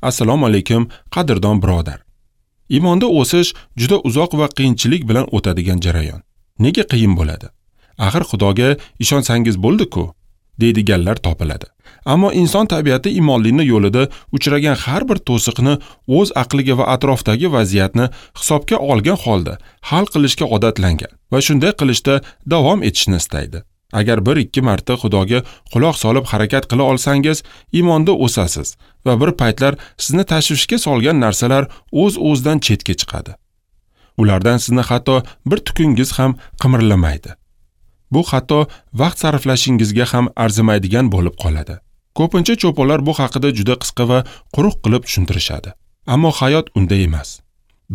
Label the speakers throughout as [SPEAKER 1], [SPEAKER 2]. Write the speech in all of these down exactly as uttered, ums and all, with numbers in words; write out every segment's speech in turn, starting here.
[SPEAKER 1] Assalomu alaykum, qadrdon birodar. Iymonda o'sish juda uzoq va qiyinchilik bilan o'tadigan jarayon. Nega qiyin bo'ladi? Axir Xudoga ishonsangiz bo'ldi-ku, deydiganlar topiladi. Ammo inson tabiati iymonlining yo'lida uchragan har bir to'siqni o'z aqliga va atrofdagi vaziyatni hisobga olgan holda hal qilishga odatlangan va shunday qilishda davom etishni istaydi. Agar bir ikki marta Xudoga quloq solib harakat qila olsangiz, iymonda o'sasiz va bir paytlar sizni tashvishga solgan narsalar o'z-o'zidan chetga chiqadi. Ulardan sizni hatto bir tukungiz ham qimirlamaydi. Bu hatto vaqt sarflashingizga ham arzimaydigan bo'lib qoladi. Ko'pincha cho'ponlar bu haqida juda qisqa va quruq qilib tushuntirishadi. Ammo hayot unday emas.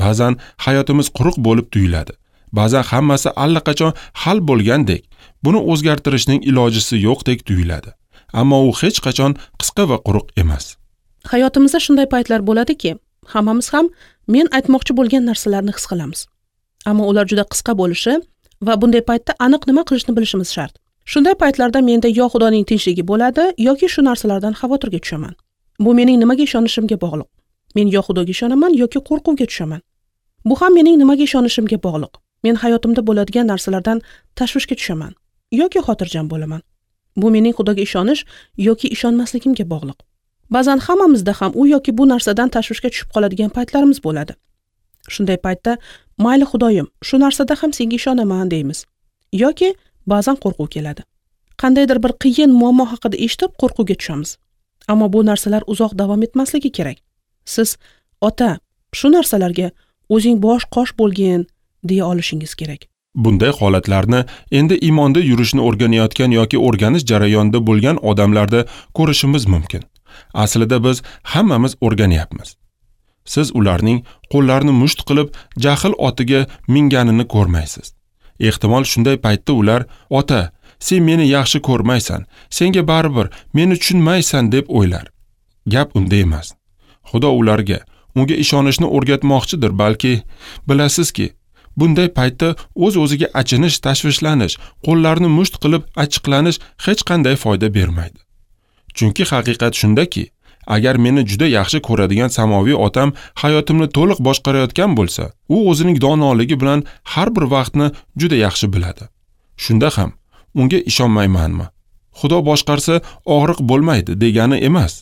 [SPEAKER 1] Ba'zan hayotimiz quruq bo'lib tuyuladi. Ba'zan hammasi allaqachon hal bo'lgandek, buni o'zgartirishning ilojisi yo'qdek tuyuladi. Ammo u hech qachon qisqa va quruq emas.
[SPEAKER 2] Hayotimizda shunday paytlar bo'ladiki, hammamiz ham men aytmoqchi bo'lgan narsalarni his qilamiz. Ammo ular juda qisqa bo'lishi va bunday paytda aniq nima qilishni bilishimiz shart. Shunday paytlarda menda yo Xudoning tinchligi bo'ladi, yoki shu narsalardan xavotirga tushaman. Bu mening nimaga ishonishimga bog'liq. Men yo Xudoga ishonaman yoki qo'rquvga tushaman. Bu ham mening nimaga ishonishimga bog'liq. Men hayotimda bo'ladigan narsalardan tashvishga tushaman yoki xotirjam bo'laman. Bu mening Xudoga ishonish yoki ishonmasligimga bog'liq. Ba'zan hammamizda ham u yoki bu narsadan tashvishga tushib qoladigan paytlarimiz bo'ladi. Shunday paytda mayli Xudoyim, shu narsada ham senga ishonaman deymiz. Yoki ba'zan qo'rquv keladi. Qandaydir bir qiyin muammo haqida eshitib qo'rquvga tushamiz. Ammo bu narsalar uzoq davom etmasligi kerak. Siz ota, shu narsalarga o'zing bosh qosh bo'lgin deya olishingiz kerak.
[SPEAKER 1] Bunday holatlarni endi iymonda yurishni o'rganayotgan yoki o'rganish jarayonida bo'lgan odamlarda ko'rishimiz mumkin. Aslida biz hammamiz o'rganyapmiz. Siz ularning qo'llarini musht qilib jahl otiga minganini ko'rmaysiz. Ehtimol shunday paytda ular, ota, sen meni yaxshi ko'rmaysan, senga baribir meni tushunmaysan deb o'ylar. Gap unda emas. Xudo ularga unga ishonishni o'rgatmoqchidir, balki bilasizki, bunday paytda o'z-o'ziga achinish, tashvishlanish, qo'llarni musht qilib achchiqlanish hech qanday foyda bermaydi. Chunki haqiqat shundaki, agar meni juda yaxshi ko'radigan samoviy otam hayotimni to'liq boshqarayotgan bo'lsa, u o'zining donoligi bilan har bir vaqtni juda yaxshi biladi. Shunda ham unga ishonmaymanmi? Xudo boshqarsa og'riq bo'lmaydi degani emas.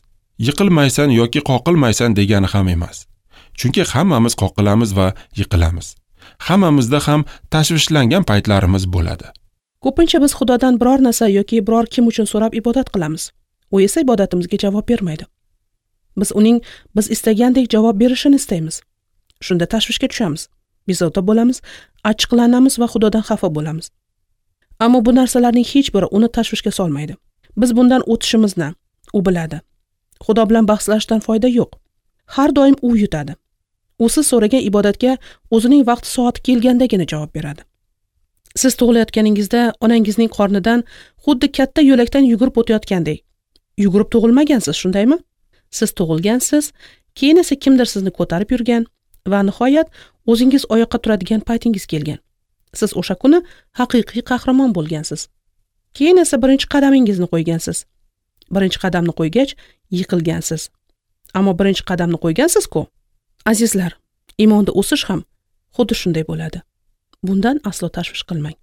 [SPEAKER 1] Yiqilmaysan yoki qoqilmaysan degani ham emas. Chunki hammamiz qoqilamiz va yiqilamiz. Hammamizda ham tashvishlangan paytlarimiz bo'ladi.
[SPEAKER 2] Ko'pincha biz Xudodan biror narsa yoki biror kim uchun so'rab ibodat qilamiz. U esa ibodatimizga javob bermaydi. Biz uning biz istagandek javob berishini istaymiz. Shunda tashvishga tushamiz, bezovta bo'lamiz, achchiqlanamiz va Xudodan xafa bo'lamiz. Ammo bu narsalarning hech biri uni tashvishga solmaydi. Biz bundan o'tishimizni u biladi. Xudo bilan bahslashdan foyda yo'q. Har doim u yutadi. U siz so'ragan ibodatga o'zining vaqti soati kelgandagina javob beradi. Siz tug'ilayotganingizda onangizning qornidan xuddi katta yo'lakdan yugurib o'tayotgandek. Yugurib tug'ilmagansiz, shundaymi? Siz tug'ilgansiz, keyin esa kimdir sizni ko'tarib yurgan va nihoyat o'zingiz oyoqqa turadigan paytingiz kelgan. Siz o'sha kuni haqiqiy qahramon bo'lgansiz. Keyin esa birinchi qadamingizni qo'ygansiz. Birinchi qadamni qo'ygach yiqilgansiz. Ammo birinchi qadamni qo'ygansiz-ku. Azizlar, iymonda o'sish ham xuddi shunday bo'ladi. Bundan aslo tashvish qilmang.